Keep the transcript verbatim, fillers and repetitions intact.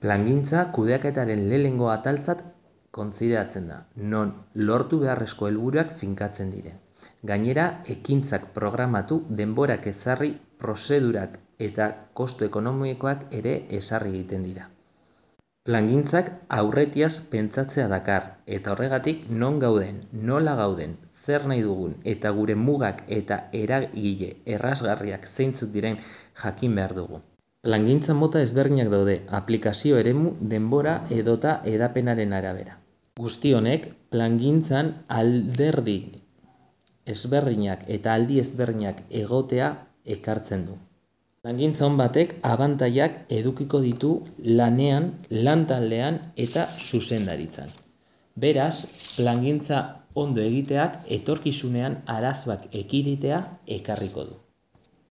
Plangintza kudeaketaren lehenengo ataltzat kontsideratzen da, non lortu beharrezko helburuak finkatzen diren. Gainera, ekintzak programatu, denborak ezarri, prozedurak eta kostu ekonomikoak ere ezarri egiten dira. Plangintzak aurretiaz pentsatzea dakar, eta horregatik non gauden, nola gauden, zer nahi dugun eta gure mugak eta eragile errazgarriak zeintzuk diren jakin behar dugu. Plangintza mota ezberdinak daude, aplikazio eremu, denbora edota hedapenaren arabera. Guzti honek, plangintzan alderdi ezberdinak eta aldi ezberdinak egotea ekartzen du. Plangintza on batek abantailak edukiko ditu lanean, lantaldean eta zuzendaritzan. Beraz, plangintza ondo egiteak etorkizunean arazoak ekiditea ekarriko du.